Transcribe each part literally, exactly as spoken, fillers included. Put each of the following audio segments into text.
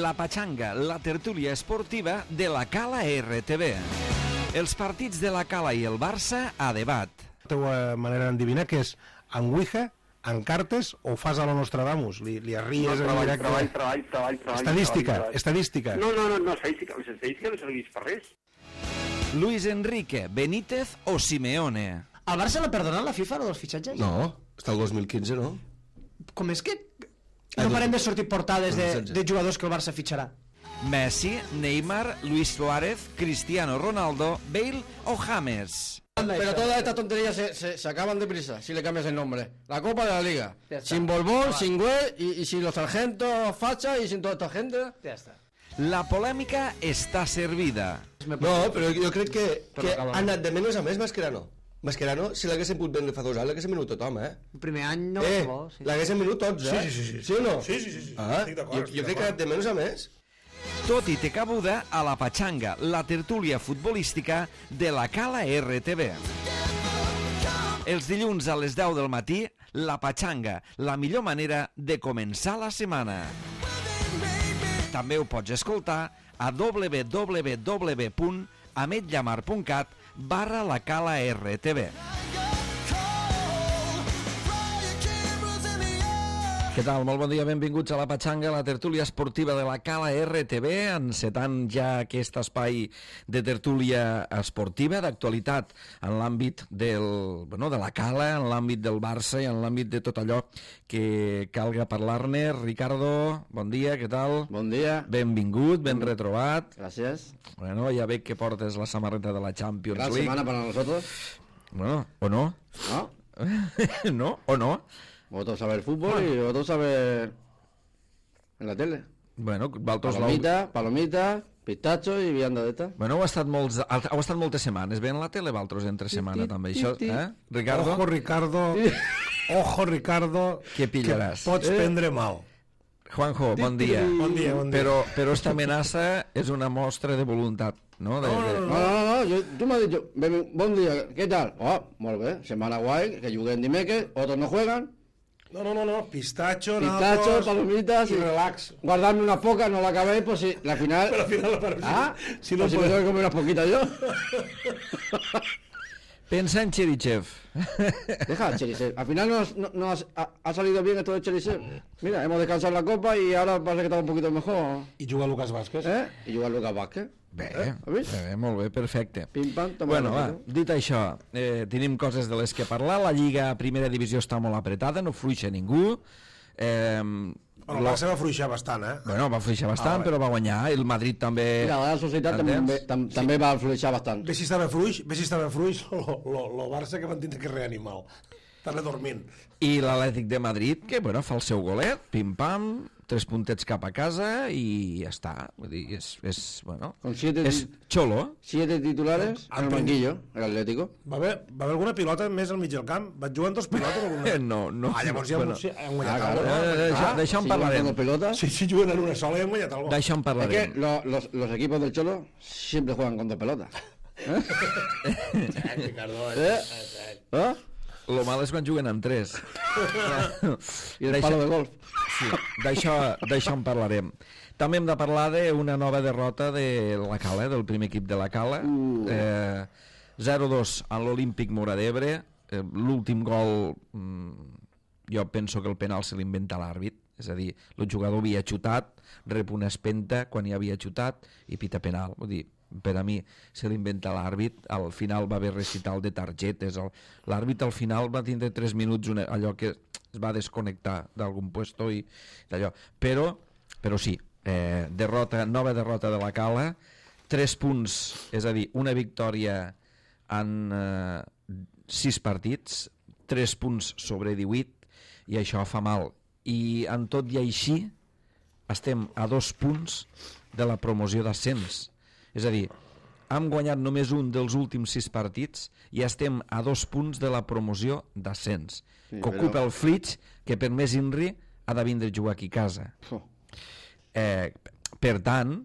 La Pachanga, la tertúlia esportiva de la Cala R T V. Els partits de la Cala i el Barça a debat. La teva manera d'endevinar que és en Ouija, en cartes o fas a la Nostradamus? Li, li arries no, en treball, directe? Treball, treball, treball, treball. Estadística, treball, treball. estadística. No, no, no, no, estadística, estadística no serveix per res. Luis Enrique, Benítez o Simeone? Al Barça l'ha perdonat la FIFA, lo dels fitxatges? No, està el dos mil quinze, no? Com és que no parem de sortir portades de, de jugadors que el Barça fitxarà? Messi, Neymar, Luis Suárez, Cristiano Ronaldo, Bale o James? Pero todas estas tonterías se, se, se acaban deprisa si le cambias el nombre. La Copa de la Liga. Sin Borbón, sin Güell y, y sin los sargentos facha y sin toda esta gente. Ja està. La polèmica està servida. No, però jo crec que, que ha anat de menys a més Mascherano. Mascherano, si l'haguéssim pogut vendre fa dos anys, l'haguéssim venut tothom, eh? El primer any no eh, bo, sí. L'haguéssim venut tots, eh? Sí, sí, sí, sí. Sí o no? Sí, sí, sí, sí. Ah, estic d'acord, jo, jo crec que ha anat de menys a més. Tot i té cabuda a la Pachanga, la tertúlia futbolística de la Cala R T V. Els dilluns a les deu del matí, la Pachanga, la millor manera de començar la setmana. També ho pots escoltar a w w w punt ametllamar punt cat barra la Cala R T V. Què tal? Molt bon dia, benvinguts a la Pachanga, la tertúlia esportiva de la Cala R T V, encetant ja aquest espai de tertúlia esportiva, d'actualitat en l'àmbit del, bueno, de la Cala, en l'àmbit del Barça i en l'àmbit de tot allò que calga parlar-ne. Ricardo, bon dia, què tal? Bon dia. Benvingut, ben retrobat. Gracias. Bueno, ja veig que portes la samarreta de la Champions Gran League. semana para nosotros. Bueno, o no? ¿No? ¿No? ¿O no? Vosotros saber fútbol y vosotros saber en la tele. Bueno, Valtos Palomita, palomita, pistacho i vianda d'esta. Bueno, heu estat, molts, heu estat moltes setmanes bé en la tele, Valtros, entre setmana també, això, eh? Ricardo? Ojo, Ricardo, ojo, Ricardo, Què pillaràs? que pots Eh? prendre mal. Juanjo, bon dia. Bon dia, bon dia. Però, però esta amenaça és una mostra de voluntat, no? De, de... No, no, no, yo, tú me has dicho, "Ven, bon dia, ¿qué tal? Oh, molt bé, semana guay, que jueguen dimecres, otros no juegan. No, no, no, no, pistacho, Pistacho, nabos palomitas y y relax. Guardarme una poca, no la acabé, pues si la final... Pero al final, pero ah, si, si si no no pues si me puedes... tengo que comer unas poquitas yo. Pensa en Cherichev. Deja, Cherisev. Al final nos, no, nos ha, ha salido bien esto de Cherisev. Mira, hemos descansado la copa y ahora parece que está un poquito mejor. I juga Lucas Vázquez. ¿Eh? Y jugar Lucas Vázquez. Bé, Eh, has vist? bé, molt bé, perfecte. Pim, pam, toma. Bueno, va, dit això, eh, tenim coses de les que parlar. La Lliga Primera Divisió està molt apretada, no fluixa ningú. Eh, Bueno, el Barça va fluixar bastant, eh? bueno, va fluixar bastant, Ah, però va guanyar. El Madrid també... Mira, la Societat també, Entens? tam, també va fluixar bastant. Ve si estava fluix, ve si estava fluix, lo, lo, lo Barça que van tindre que reanimar. Estava dormint. I l'Atlètic de Madrid, que bueno, fa el seu golet, pim-pam, tres puntets cap a casa i ja està. Vull dir, és, és, bueno, Con siete, és xolo. siete titulares en el banquillo, el Atlético. Va haver, va haver alguna pilota més al mig del camp? Vaig jugar amb dos pilotes? Alguna... No, no. Ah, llavors ja bueno, bueno, sí, hem guanyat Ah, claro. alguna. Eh, d'això Ah, d'això en si parlarem. juegan con pelotas. Sí, sí, juguen en una sola i hem guanyat alguna. D'això en Es que parlarem. lo- los, los equipos del Cholo siempre juegan con dos pelotas. Ricardo, ¿Eh? ¿Eh? Lo mal és quan juguen amb tres. Y el D'això- palo de golf. Sí, d'això d'això en parlarem. També hem de parlar d'una nova derrota de la Cala, del primer equip de la Cala. Uh. Eh, zero dos en l'Olímpic Mora d'Ebre. Eh, L'últim gol, mm, jo penso que el penal se l'inventa l'àrbit. És a dir, el jugador havia xutat, rep una espenta quan hi havia xutat i pita penal. Vull dir, per a mi se l'inventa l'àrbit. Al final va haver recital de targetes. El- L'àrbit al final va tindre tres minuts una, allò que es va desconnectar d'algun puesto i d'allò. Però, però sí, eh, derrota, nova derrota de la Cala, tres punts, és a dir, una victòria en eh, sis partits, tres punts sobre divuit, i això fa mal. I en tot i així estem a dos punts de la promoció d'ascens. És a dir, hem guanyat només un dels últims sis partits i estem a dos punts de la promoció d'ascens, Sí, que ocupa però- el Flix, que per més Inri ha de vindre a jugar aquí a casa. Oh. Eh, per tant,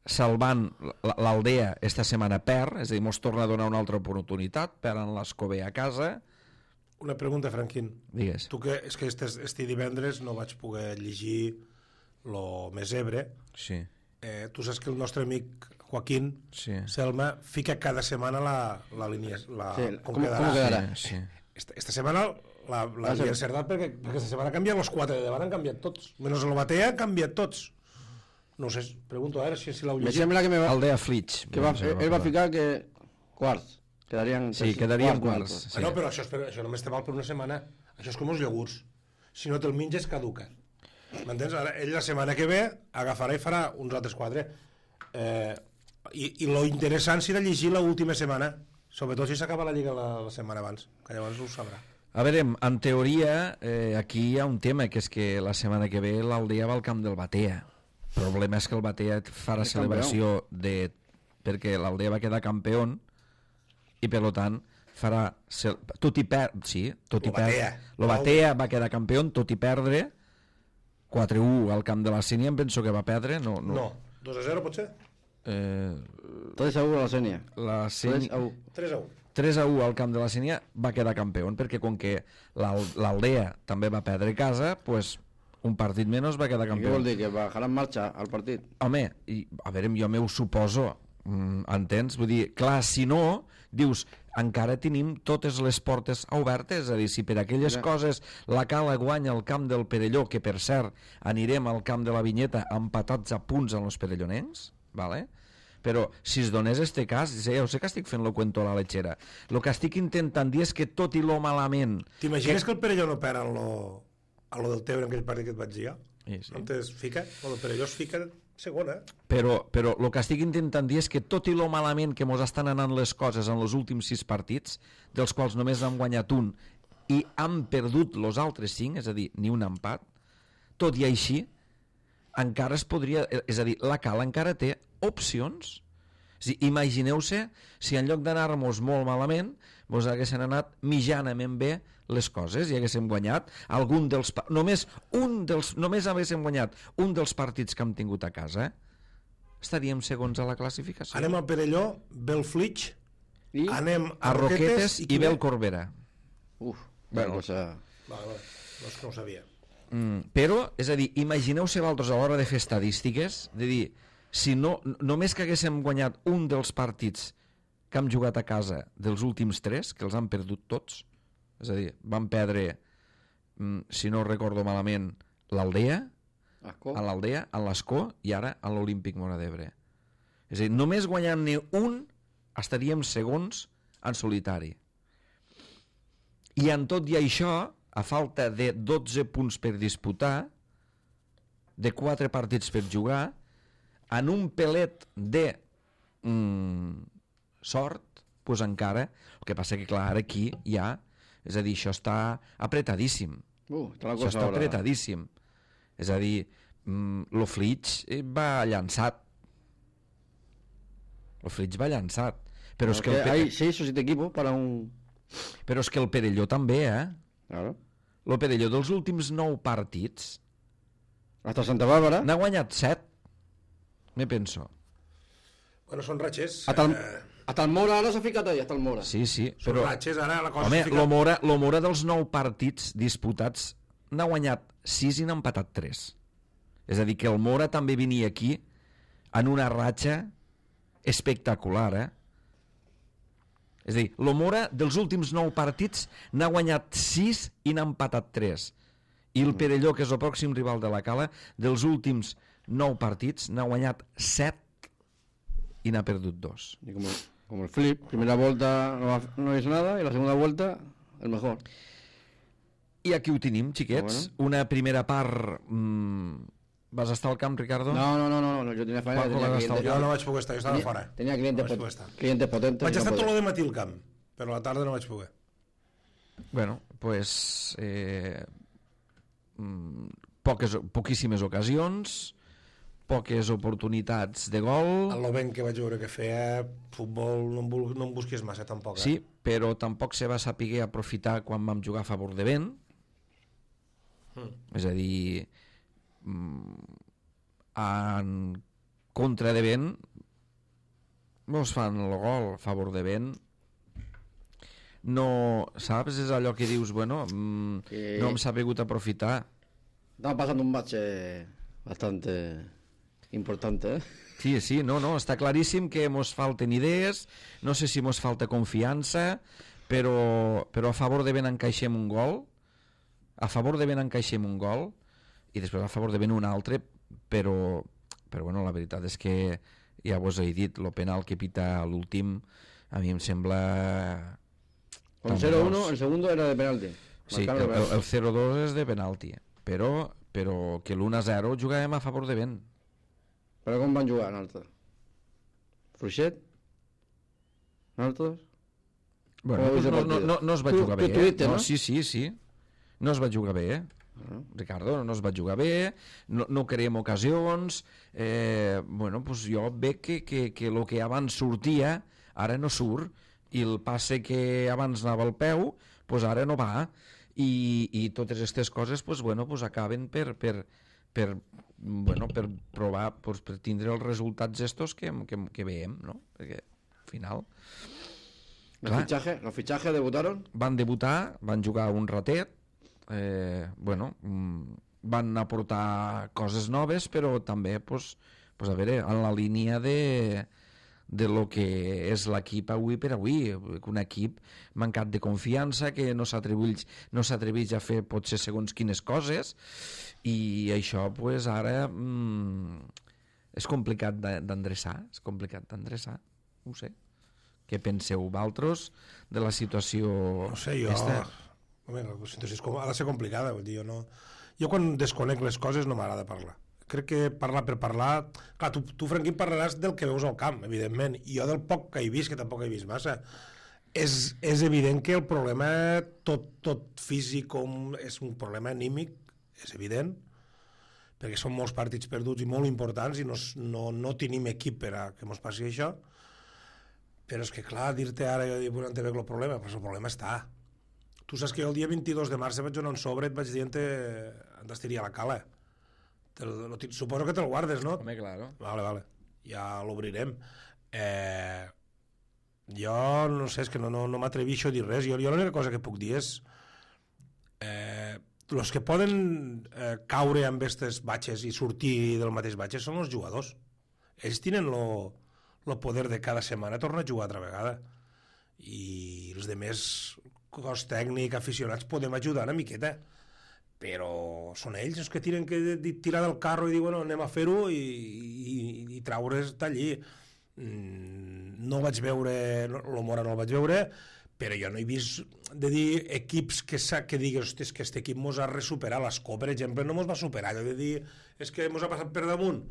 salvant l- l'Aldea esta setmana perd, és a dir, mos torna a donar una altra oportunitat, perden l'Escobé a casa. Una pregunta, Franquín. Digues. Tu que, és que este, este divendres no vaig poder llegir lo més ebre, Sí, eh, tu saps que el nostre amic Joaquín sí. Selma fica cada setmana la, la línia, la, Sí, com, com- quedarà. com quedarà? Sí, sí. Esta, esta setmana la, la Ah, sí. havia encertat perquè, perquè esta setmana han canviat els quatre de davant, han canviat tots. Menys el Batea han canviat tots. No ho sé, pregunto a veure si, si l'heu Me llegit. sembla que me va, Aldea Flitch. que va, Doncs, eh, él va a ficar que quarts. Quedarían Sí, tres- quedarían quarts, quarts. Bueno, però això, és per, això només te val per una setmana. Això és com els iogurts. Si no te'l menges, caduca. M'entens? Ara, ell la setmana que ve agafarà i farà uns altres quatre. Eh, i, I lo interessant serà llegir l'última setmana, sobretot si s'acaba la Lliga la, la setmana abans, que llavors ho sabrà. A veure, en teoria, eh, aquí hi ha un tema, que és que la setmana que ve l'Aldea va al camp del Batea. El problema és que el Batea farà És celebració de... perquè l'Aldea va quedar campió i, per tant, farà... cel- Tot i perdre... Sí, tot i Lo Batea. perdre... Lo Batea va quedar campió, tot i perdre quatre a u al camp de la Sínia, em penso que va perdre. No, no. No, dos a zero potser? Eh, tres a uno a la Senia. la tres Sínia... a uno. tres a u. tres a u al camp de la Sínia va quedar campió, perquè com que l'Al- l'Aldea també va perdre a casa, pues, un partit menys va quedar I què campió. vol dir? Que bajarà en marxa al partit? Home, i, a veure, jo m'ho suposo, mm, entens? Vull dir, clar, si no, dius, encara tenim totes les portes obertes, és a dir, si per aquelles Ja. coses la Cala guanya el camp del Perelló, que per cert anirem al camp de la Vinyeta empatats a punts amb els perellonencs, vale? Però si es donés este cas, ja ho sé que estic fent lo cuento a la lechera, el que estic intentant dir és que tot i lo malament... T'imagines que... que el Perelló no perd en lo, a lo del Tebre en aquell partit que et vaig dir jo? Sí, sí. No es fica? Bueno, el Perelló es fica segona. Però, però el que estic intentant dir és que tot i lo malament que mos estan anant les coses en els últims sis partits, dels quals només han guanyat un i han perdut els altres cinc, és a dir, ni un empat, tot i així, encara es podria... És a dir, la Cala encara té opcions. És a dir, imagineu-se si en lloc d'anar-nos molt malament mos haguessin anat mitjanament bé les coses i haguéssim guanyat algun dels... pa- Només un dels... Només haguéssim guanyat un dels partits que hem tingut a casa, estaríem segons a la classificació. Anem al Perelló, ve el Flitch, I... anem a Roquetes i, qui ve ve? el Corbera. Uf, Bueno. bueno, cosa... Vale, vale. No, és que no ho sabia. Mm, però, és a dir, imagineu-se vosaltres a l'hora de fer estadístiques, de dir, si no, només que haguéssim guanyat un dels partits que hem jugat a casa dels últims tres, que els han perdut tots, és a dir, van perdre, mm, si no recordo malament, l'Aldea, Asco. a l'Aldea, a l'Escó i ara a l'Olímpic Móra d'Ebre. És a dir, només guanyant-ne un estaríem segons en solitari. I en tot i això, a falta de dotze punts per disputar, de quatre partits per jugar, en un pelet de mm, sort, doncs encara, el que passa que clar, ara aquí hi ha, és a dir, això està apretadíssim. Uh, està la Això cosa està ahora. apretadíssim. És a dir, mm, lo Flitch va llançat. Lo Flitch va llançat. Però és, que el, Hay Pe- seis o siete equipos para un... però és que el Perelló també, eh? Claro. El Perelló dels últims nou partits Hasta Santa Bárbara. n'ha guanyat set. Me penso. Bueno, són ratxes. Hasta el, Eh, hasta el Mora ara s'ha ficat ahí, hasta el Mora. Sí, sí. són Però, ratxes, ara la cosa home, es fica... lo Mora, lo Mora dels nou partits disputats n'ha guanyat sis i n'ha empatat tres. És a dir, que el Mora també venia aquí en una ratxa espectacular, eh? És a dir, el Mora dels últims nou partits n'ha guanyat sis i n'ha empatat tres. I el Perelló, que és el pròxim rival de la Cala, dels últims nou partits n'ha guanyat set i n'ha perdut dos. Y como, como el flip, primera vuelta no, ha- no es nada y la segunda vuelta el mejor. I aquí ho tenim, xiquets. Bueno. Una primera part... Mm, vas estar al camp, Ricardo? No, no, no, no, no, yo tenía faena, Juanjo, tenía la clientes, gastado. Jo no vaig poder estar, jo estava tenía, fora. tenía clientes, No vaig pot- poder estar. clientes potentes. Vaig y no estar tot podía. el matí al camp, però a la tarda no vaig poder. Bueno, pues... Eh, mm, poques, poquíssimes ocasions, poques oportunitats de gol... El Loven que vaig veure que feia futbol no em, vul, no em busquis massa tampoc, eh? Sí, però tampoc se va saber aprofitar quan vam jugar a favor de vent. Mm. És a dir, mm, en contra de vent mos fan el gol a favor de vent. No, saps? És allò que dius, bueno, mm, Que- no hem sabut aprofitar. Estamos pasando un bache bastante importante, ¿eh? Sí, sí, no, no, està claríssim que mos falten idees, no sé si mos falta confiança, però, però a favor de ben encaixem un gol, a favor de ben encaixem un gol, i després a favor de ben un altre, però, però bueno, la veritat és que ja vos he dit, el penal que pita a l'últim, a mi em sembla... Con cero uno, el segundo era de penalti. Sí, el, el, el cero dos és de penalti, però, però que l'u a zero jugàvem a favor de ben. Però com van jugar nosaltres? Fluixet? Nosaltres? Bueno, pues no, no, no, no es va tu, jugar bé, tu tuite, eh? no? No, sí, sí, sí. No es va jugar bé, eh? Uh-huh. Ricardo, no es va jugar bé, no, no creem ocasions, eh, bueno, pues jo veig que, que, que el que abans sortia, ara no surt, i el passe que abans anava al peu, pues ara no va, i, i totes aquestes coses, pues, bueno, pues acaben per... per per, bueno, per provar, pues, per tindre els resultats estos que, que, que veiem, no? Perquè al final... ¿Los fichajes, ¿Los fichajes debutaron? Van debutar, van jugar un ratet, eh, bueno, van aportar coses noves, però també, pues, pues a veure, en la línia de, de lo que és l'equip avui per avui, un equip mancat de confiança, que no s'atreveix no s'atreveix a fer potser segons quines coses, i això pues ara mm, és complicat d'endreçar, és complicat d'endreçar, no ho sé. Què penseu vosaltres de la situació? No sé, jo... Esta? Home, la situació és com... ha de ser complicada, vull dir, jo no... Jo quan desconec les coses no m'agrada parlar. Crec que parlar per parlar... Clar, tu, tu Franquín, parlaràs del que veus al camp, evidentment, i jo del poc que he vist, que tampoc he vist massa. És, és evident que el problema tot, tot físic com és un problema anímic, és evident, perquè són molts partits perduts i molt importants i no, no, no tenim equip per a que mos passi això, però és que clar, dir-te ara jo dic, on te veig el problema, però el problema està. Tu saps que jo el dia vint-i-dos de març vaig donar un sobre i et vaig dir on t'estiria la cala. Te, lo, suposo que te'l guardes, no? Home, claro. Vale, vale, ja l'obrirem. Eh, jo no sé, és que no, no, no m'atrevixo a dir res. Jo, jo l'única cosa que puc dir és eh, els que poden eh, caure amb aquestes batxes i sortir del mateix batxes són els jugadors. Ells tenen lo, lo poder de cada setmana tornar a jugar altra vegada. I els demés cos tècnic, aficionats, podem ajudar una miqueta. Però són ells els que tiren que tirar del carro i dir, bueno, anem a fer-ho i, i, i traure's d'allí. No vaig veure, l'Omora no el vaig veure, però jo no he vist de dir equips que, que digues, hosti, és que aquest equip mos ha resuperat. L'Escó, per exemple, no mos va superar. Allò de dir, és que mos ha passat per damunt,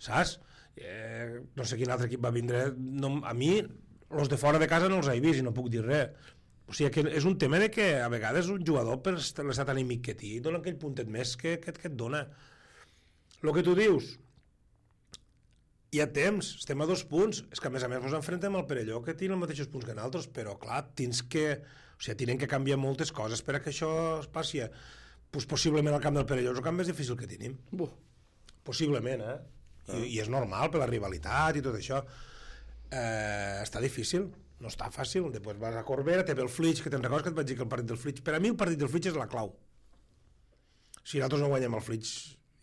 saps? Eh, no sé quin altre equip va vindre. No, a mi, els de fora de casa no els he vist i no puc dir res. O sigui, que és un tema de que a vegades un jugador, per l'estat anímic que té, dona aquell puntet més que, que, que et dona. El que tu dius, hi ha temps, estem a dos punts, és que a més a més ens enfrontem al Perelló, que té els mateixos punts que nosaltres, però clar, tens que, o sigui, tenen que canviar moltes coses per a que això es passi. Pues, possiblement al camp del Perelló és el camp més difícil que tenim. Buh. Possiblement, eh? I, I és normal per la rivalitat i tot això. Eh, està difícil, no està fàcil. Després vas a Corbera, té el Flix, que te'n recordes que et vaig dir que el partit del Flix... Per a mi el partit del Flix és la clau. Si nosaltres no guanyem el Flix,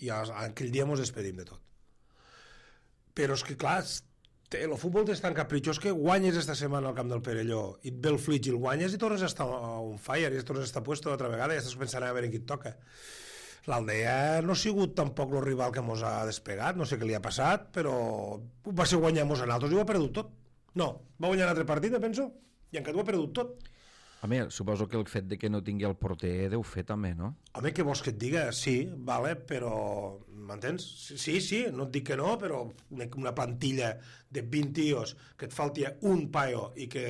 ja aquell dia ens despedim de tot. Però és que, clar, el futbol és tan capritxós que guanyes esta setmana al camp del Perelló i et ve el Flix i el guanyes i tornes a estar on fire i tornes a estar puesto altra vegada i estàs pensant a veure qui et toca. L'Aldea no ha sigut tampoc el rival que mos ha despegat, no sé què li ha passat, però va ser guanyar-mos a nosaltres i ho ha perdut tot. No, va guanyar un altre partit, penso, i encara ho ha perdut tot. Home, suposo que el fet de que no tingui el porter deu fer també, no? Home, què vols que et diga? Sí, vale, però... M'entens? Sí, sí, no et dic que no, però una plantilla de vint tios que et falti un paio i que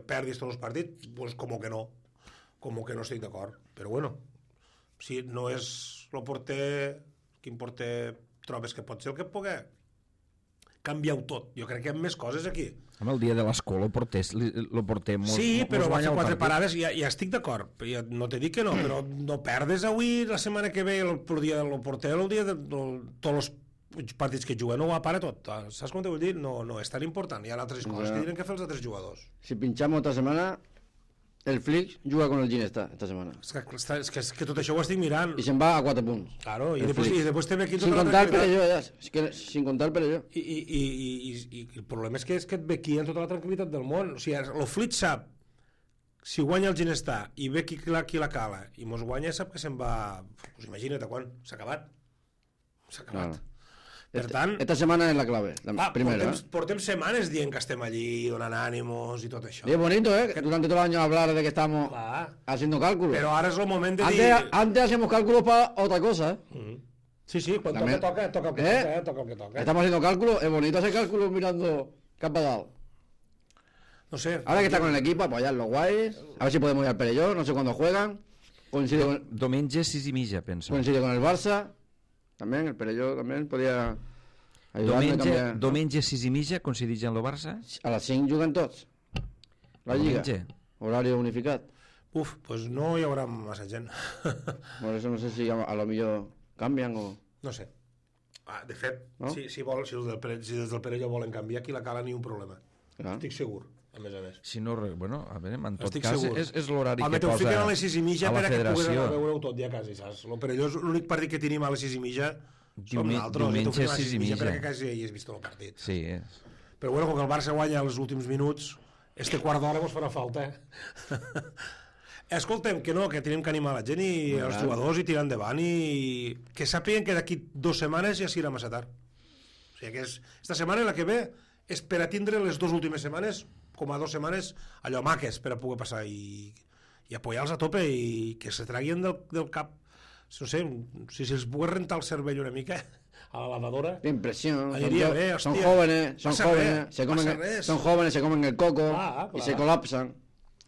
perdis tots els partits, doncs com que no. Com que no estic d'acord. Però bueno, si no és el porter, quin porter trobes que pot ser el que pugui canviar-ho tot. Jo crec que hi ha més coses aquí. Home, el dia de l'escó lo portés, lo portem... Mos, sí, però va fer quatre partit. parades i ja, ja estic d'acord. Ja no t'he dit que no, però no perdes avui, la setmana que ve, el, el dia del porter, el dia de, de, de tots els partits que juguen, no ho para tot. Saps com t'ho vull dir? No, no és tan important. Hi ha altres coses ja. que tenen que fer els altres jugadors. Si pinchamos esta semana, el Flix juga con el Ginesta esta setmana. És que, està, és, que, és que tot això ho estic mirant. Y se va a cuatro puntos. Claro, i El després, Flix. i després també aquí tota Sin la contar el tranquil·litat. Perelló, ya. Es que, sin contar el Perelló. I, i, i, i, i, i el problema és que, és que et ve aquí en tota la tranquil·litat del món. O sigui, el Flit sap, si guanya el Ginestà i ve qui la, qui la cala i mos guanya, sap que se'n va... Pues imagina't a quan, s'ha acabat. S'ha acabat. Claro. Per Este- tant, Esta semana es la clave. La va, primera. portem, portem setmanes dient que estem allí, donant ànimos i tot això. Y es bonito, ¿eh? Que durante todo el año hablar de que estamos Clar. haciendo cálculos. Però ara és el moment de Antes, dir... antes hacíamos cálculos para otra cosa, ¿eh? Mm. Sí, sí, quan També- toca, toca, toca el que ¿Eh? toca, eh? Toca el que toca. Estamos haciendo cálculos. Es bonito hacer cálculos mirando Campadal. No sé. Ahora que está con el equipo, apoyar los guays. A ver si podemos ir al Perelló. No sé cuándo juegan. Coincide con, Diumenge sis i mitja, penso. coincide con el Barça. También, el Perelló también podía ayudarme a Diumenge, cambiar. diumenge sis i mitja coincideix amb el Barça? A las cinco juguen tots. La Lliga. Diumenge. Horario unificat. Uf, pues no hi haurà massa gent. Por eso no sé si a, a lo millor cambian o... No sé. Ah, de fet, No? si, si, vol, si, els del Pere, si des del Perelló volen canviar, aquí la cala ni un problema. Clar. Estic segur, a més a més. Si no, re- bueno, a veure, en tot Estic cas, segur. és, és l'horari Home, que t'ho posa fiquen a les sis i mitja a per la a que puguis anar federació. a veure-ho tot ja quasi, saps? El Perelló és l'únic partit que tenim a les sis i mitja som Diume- nosaltres, i t'ho diumenge fiquen a les sis i mitja. per a que quasi hi has vist el partit. Sí, és. Però bueno, com que el Barça guanya els últims minuts, este quart d'hora mos farà falta, eh? Escoltem, que no, que tenim que animar la gent i els jugadors i tirar endavant i que sàpiguen que d'aquí dues setmanes ja serà massa tard. O sigui que és, esta setmana i la que ve és per a tindre les dues últimes setmanes com a dues setmanes allò maques per a poder passar i, i apoyar-los a tope i que se traguin del, del cap, no sé, si se'ls pogués rentar el cervell una mica a la lavadora. Impresión. Son, Aniria to- bé, son hòstia. jóvenes, son Passa jóvenes, res, se comen, passa res. son jóvenes, se comen el coco Clar, y clar. se colapsan.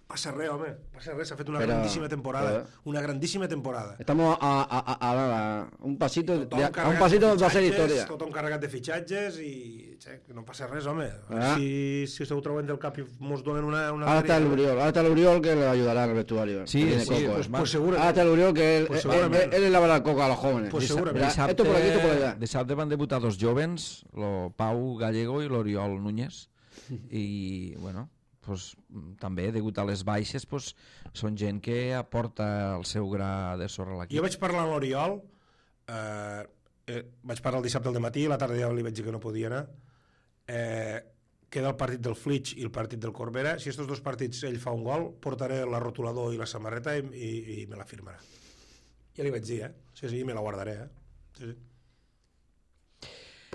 Passa res, home, passa res, s'ha fet una Però, grandíssima temporada, joder. una grandíssima temporada. Estamos a, a, a, a, a un pasito, de, Tothom a un carregat pasito de hacer fitxatges, historia. Tothom carregat de fitxatges i che, que no passa res, home. Ah. Si, si se ho troben del cap i mos donen una... una Ahora está el alegria. Uriol, ahora está el Uriol que le ayudará en el vestuario. Sí, que tiene sí, coco, pues eh. Pues seguro. Ahora está el Uriol que él, Pues él, segurament. él, él le lavará el coco a los jóvenes. Pues Mira, segurament. esto por aquí, esto por allá. Dissabte van debutar dos jovens, lo Pau Gallego i l'Oriol Núñez, i, bueno, pues, també, degut a les baixes, pues, són gent que aporta el seu gra de sorra a l'equip. Jo vaig parlar amb l'Oriol, eh, eh, vaig parlar el dissabte al matí, la tarda ja li vaig dir que no podia anar, eh, queda el partit del Flitx i el partit del Corbera. Si aquests dos partits ell fa un gol, portaré la rotulador i la samarreta i, i, i me la firmarà. Ja li vaig dir, eh? Sí, sí, me la guardaré, eh? Sí, sí.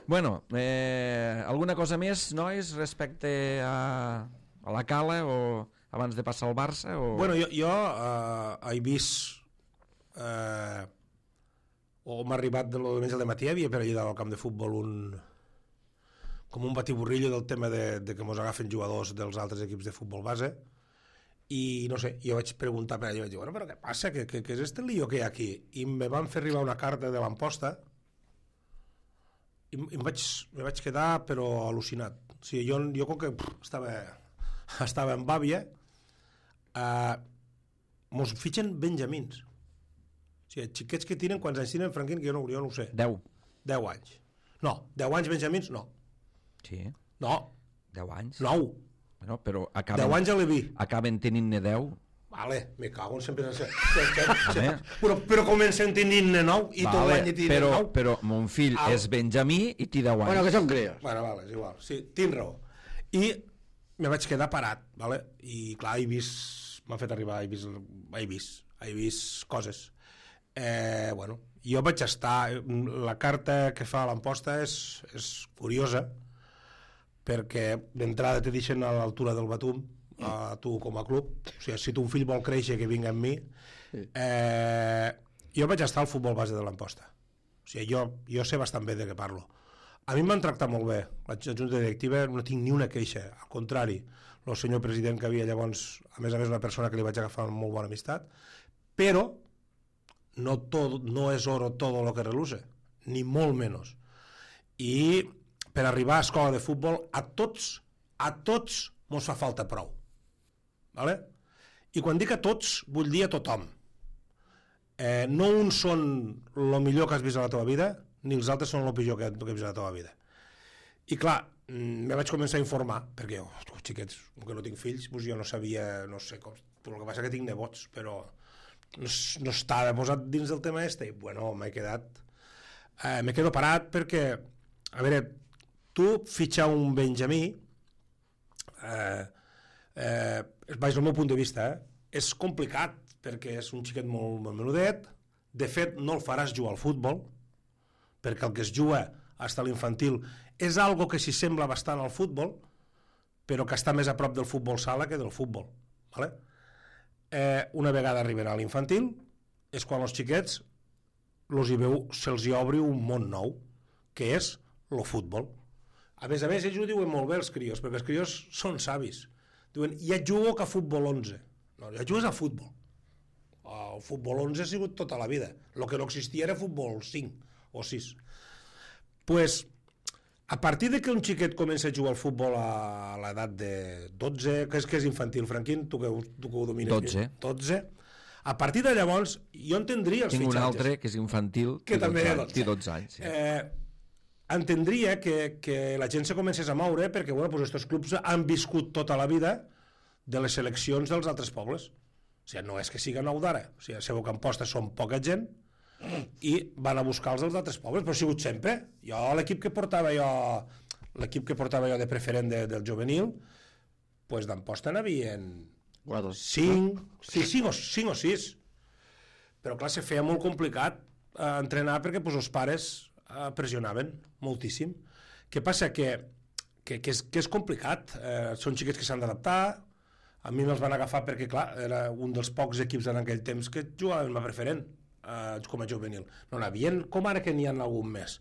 Bueno, eh, alguna cosa més, nois, respecte a, a la Cala o abans de passar al Barça? O... Bueno, jo, jo eh, he vist eh, o m'ha arribat de lo de al matí, havia per allà al camp de futbol un com un batiburrillo del tema de, de que mos agafen jugadors dels altres equips de futbol base i no sé, jo vaig preguntar per allà i vaig dir, bueno, però què passa, què, què, què és este lío que hi ha aquí? I me van fer arribar una carta de l'Amposta i, i em, vaig, me vaig quedar però al·lucinat. O sigui, jo, jo com que pff, estava, estava en bàbia, eh, mos fitxen benjamins. O sigui, xiquets que tenen, quants anys tenen, Franquín, que jo no, jo no ho sé. Deu. Deu anys. No, deu anys benjamins, no. Sí, No, deu anys. nou. Bueno, però acaben, Deu anys a l'E V I. acaben tenint-ne deu. Vale, me cago en sempre... Home. Però, però comencen tenint-ne nou i tot Vale, l'any tenen però, nou. però mon fill Au. és benjamí i té deu anys. Bueno, que son críos. Bueno, vale, és igual. Sí, tinc raó. I me vaig quedar parat, vale? I clar, he vist... M'ha fet arribar, he vist, he vist, he vist coses. Eh, bueno, jo vaig estar... La carta que fa l'Amposta és, és curiosa, perquè d'entrada te deixen a l'altura del batum, a tu com a club. O sigui, si tu un fill vol créixer, que vingui amb mi. Eh, jo vaig estar al futbol base de l'Amposta. O sigui, jo, jo sé bastant bé de què parlo. A mi em van tractar molt bé. La junta directiva no tinc ni una queixa. Al contrari, el senyor president que havia llavors, a més a més una persona que li vaig agafar amb molt bona amistat, però no, todo, no és oro todo lo que reluce, ni molt menys. I per arribar a escola de futbol, a tots, a tots mos fa falta prou. Vale? I quan dic a tots, vull dir a tothom. Eh, no uns són el millor que has vist a la teva vida, ni els altres són el pitjor que, que has vist a la teva vida. I clar, me vaig començar a informar, perquè jo, oh, xiquets, com que no tinc fills, doncs jo no sabia, no sé com, però el que passa que tinc nebots, però no, no estava posat dins del tema este, i bueno, m'he quedat, eh, m'he quedat parat perquè, a veure, tu fitxar un Benjamí, eh, eh, vaig del meu punt de vista, eh, és complicat, perquè és un xiquet molt, molt menudet, de fet no el faràs jugar al futbol, perquè el que es juga fins a l'infantil és algo que s'hi sembla bastant al futbol, però que està més a prop del futbol sala que del futbol. Vale? Eh, una vegada arribarà a l'infantil, és quan els xiquets los hi veu, se'ls hi obri un món nou, que és el futbol. A més a més, ells ho diuen molt bé, els crios, perquè els crios són savis. Diuen, ja jugo que a futbol onze. No, ja jugues a futbol. El futbol onze ha sigut tota la vida. El que no existia era futbol cinc o sis. Pues, a partir de que un xiquet comença a jugar al futbol a l'edat de dotze, que és, que és infantil, Franquín, tu que, tu que ho domines dotze. dotze, a partir de llavors jo entendria els Tinc fitxatges. un altre que és infantil, que també té dotze anys. Sí. Eh, entendria que, que la gent se comencés a moure perquè bueno, pues estos clubs han viscut tota la vida de les seleccions dels altres pobles. O sigui, no és que siga nou d'ara. O sigui, sabeu que en Posta són poca gent i van a buscar els dels altres pobles, però ha sigut sempre. Jo, l'equip que portava jo, l'equip que portava jo de preferent de, del juvenil, pues d'Amposta n'havien cinc, sí, cinc, o, cinc o sis. Però clar, se feia molt complicat eh, entrenar perquè pues, els pares eh, pressionaven moltíssim. Què passa? Que, que, que, és, que és complicat. Eh, són xiquets que s'han d'adaptar. A mi me'ls van agafar perquè, clar, era un dels pocs equips en aquell temps que jugaven a preferent. Uh, com a juvenil. No n'havien, com ara que n'hi ha algun més.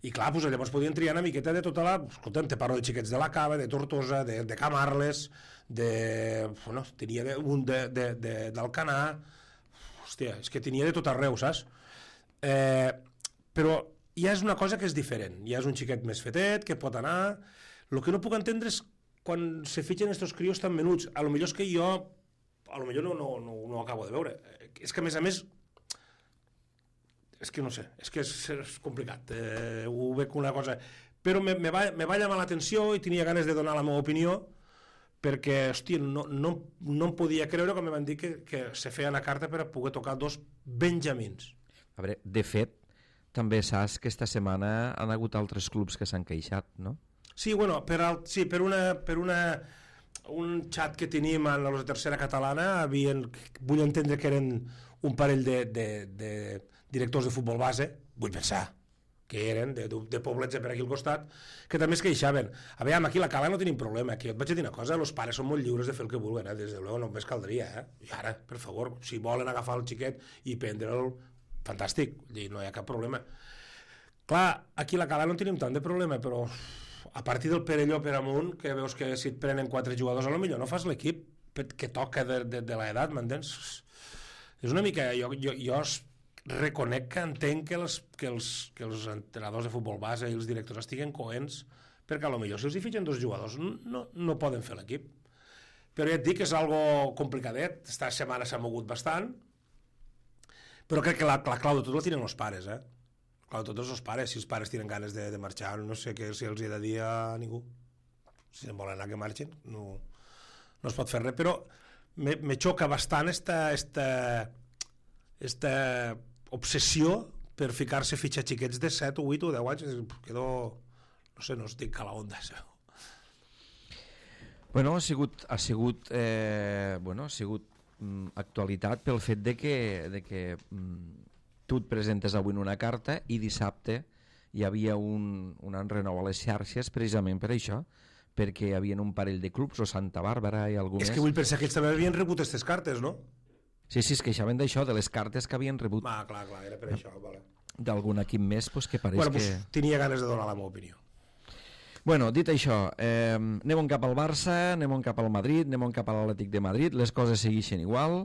I clar, doncs, llavors podien triar una miqueta de tota la... Escolta'm, te parlo de xiquets de la Cava, de Tortosa, de, de Camarles, de... Bueno, tenia de, un de, de, de, d'Alcanar... Hòstia, és que tenia de tot arreu, saps? Eh, però ja és una cosa que és diferent. Ja és un xiquet més fetet, que pot anar... El que no puc entendre és quan se fitxen estos crios tan menuts. A lo millor és que jo... A lo millor no, no, no, no ho acabo de veure. És que, a més a més, és que no sé, és que és, és complicat, eh, ho veig una cosa, però me, me, va, me va llamar l'atenció i tenia ganes de donar la meva opinió perquè, hòstia, no, no, no em podia creure quan me van dir que, que se feia una carta per a poder tocar dos benjamins. A veure, de fet, també saps que esta setmana han hagut altres clubs que s'han queixat, no? Sí, bueno, per, al, sí, per, una, per una, un xat que tenim a la tercera catalana, havien, vull entendre que eren un parell de, de, de directors de futbol base, vull pensar que eren, de, de poblets per aquí al costat, que també es queixaven. A veure, aquí a la Cala no tenim problema, aquí et vaig a dir una cosa, els pares són molt lliures de fer el que vulguen, eh? Des de luego només caldria, eh? I ara, per favor, si volen agafar el xiquet i prendre'l, fantàstic, no hi ha cap problema. Clar, aquí a la Cala no tenim tant de problema, però a partir del Perelló per amunt, que veus que si et prenen quatre jugadors, a lo millor no fas l'equip que toca de, de, de l'edat, m'entens? És una mica... Jo, jo, jo reconec que entenc que els, que, els, que els entrenadors de futbol base i els directors estiguen coents perquè a lo millor si els hi fitxen dos jugadors no, no poden fer l'equip. Però ja et dic que és algo complicadet, esta setmana s'ha mogut bastant, però crec que la, la clau de tot la tenen els pares, eh? La clau de tot és els pares, si els pares tenen ganes de, de marxar, no sé què si els hi he de dir a ningú. Si volen anar que marxin, no, no es pot fer res, però me, me xoca bastant esta, esta, esta obsessió per ficar-se a fitxar xiquets de set o vuit o deu anys, quedo, no sé, no estic a la onda. Bueno, ha sigut, ha sigut, eh, bueno, ha sigut mm, actualitat pel fet de que, de que mm, tu et presentes avui en una carta i dissabte hi havia un, un enrenou a les xarxes precisament per això, perquè hi havia un parell de clubs, o Santa Bàrbara i algú És més. que vull pensar que ells també havien rebut aquestes cartes, no? Sí, sí, es queixaven d'això, de les cartes que havien rebut. Ah, clar, clar, era per això, vale. D'algun equip més, pues, que pareix bueno, que... Pues, tenia ganes de donar la meva opinió. Bueno, dit això, eh, anem cap al Barça, anem cap al Madrid, anem cap a l'Atlètic de Madrid, les coses segueixen igual,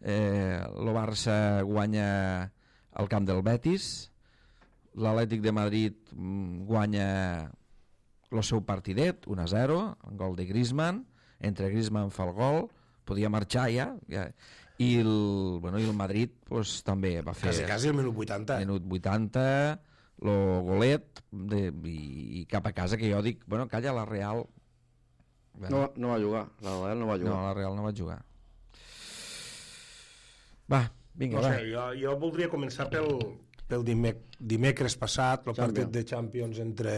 eh, el Barça guanya al camp del Betis, l'Atlètic de Madrid mm, guanya el seu partidet, un a zero, un gol de Griezmann, entre Griezmann fa el gol, podia marxar ja, ja i el, bueno, i el Madrid pues, també va fer... Quasi, quasi el minut vuitanta. Minut vuitanta, lo golet de, i, i cap a casa, que jo dic, bueno, calla, la Real... Bueno. No, no va jugar, la Real no va jugar. No, la Real no va jugar. Va, vinga, no va. sé, jo, jo voldria començar pel, pel dimec dimecres passat, el partit de Champions entre...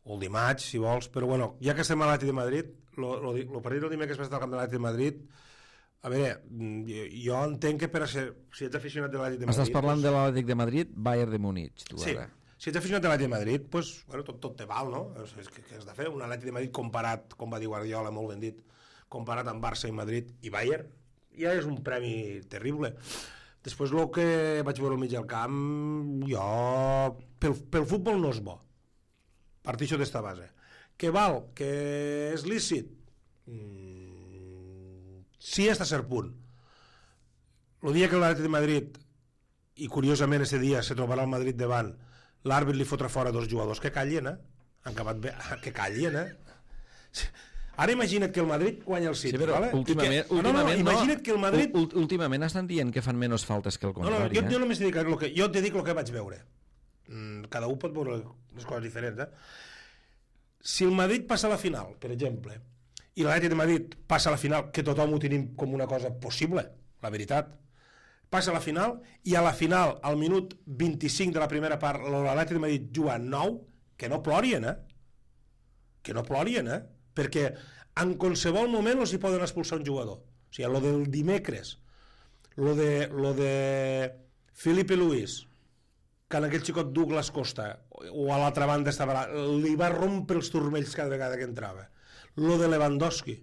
o el dimarts, si vols, però bueno, ja que estem a l'Atlètic de Madrid, el partit del dimecres passat al camp de l'Atlètic de Madrid, a veure, jo entenc que per a ser, si ets aficionat de l'Atlètic de Madrid... Estàs parlant doncs, de l'Atlètic de Madrid, Bayern de Múnich, tu sí, ara. si ets aficionat de l'Atlètic de Madrid, pues, bueno, tot, tot te val, no? És que, que has de fer un Atlètic de Madrid comparat, com va dir Guardiola, molt ben dit, comparat amb Barça i Madrid i Bayern, ja és un premi terrible. Després, el que vaig veure al mig del camp, jo... Pel, pel futbol no és bo. Partixo d'esta base. Que val? Que és lícit? Mm, sí, hasta cert punt. El dia que l'Atlètic de Madrid, i curiosament ese dia se trobarà el Madrid davant, l'àrbit li fotrà fora dos jugadors, que callien, eh? Han acabat bé, que callien, eh? Ara imagina't que el Madrid guanya el City, sí, però vale? últimament, que, últimament, no, no, imagina't que el Madrid... Últimament estan dient que fan menys faltes que el contrari. No, no, jo, eh? jo només t'he dit el que, jo t'he dit el que vaig veure. Mm, cada un pot veure les coses diferents, eh? Si el Madrid passa a la final, per exemple, i l'Atlètic de Madrid passa a la final, que tothom ho tenim com una cosa possible, la veritat, passa a la final, i a la final, al minut vint-i-cinc de la primera part, l'Atlètic de Madrid juga nou, que no plorien, eh? Que no plorien, eh? Perquè en qualsevol moment els hi poden expulsar un jugador. O sigui, lo del dimecres, lo de, lo de Felipe Luis, que en aquell xicot Douglas Costa, o a l'altra banda estava, li va rompre els turmells cada vegada que entrava. Lo de Lewandowski,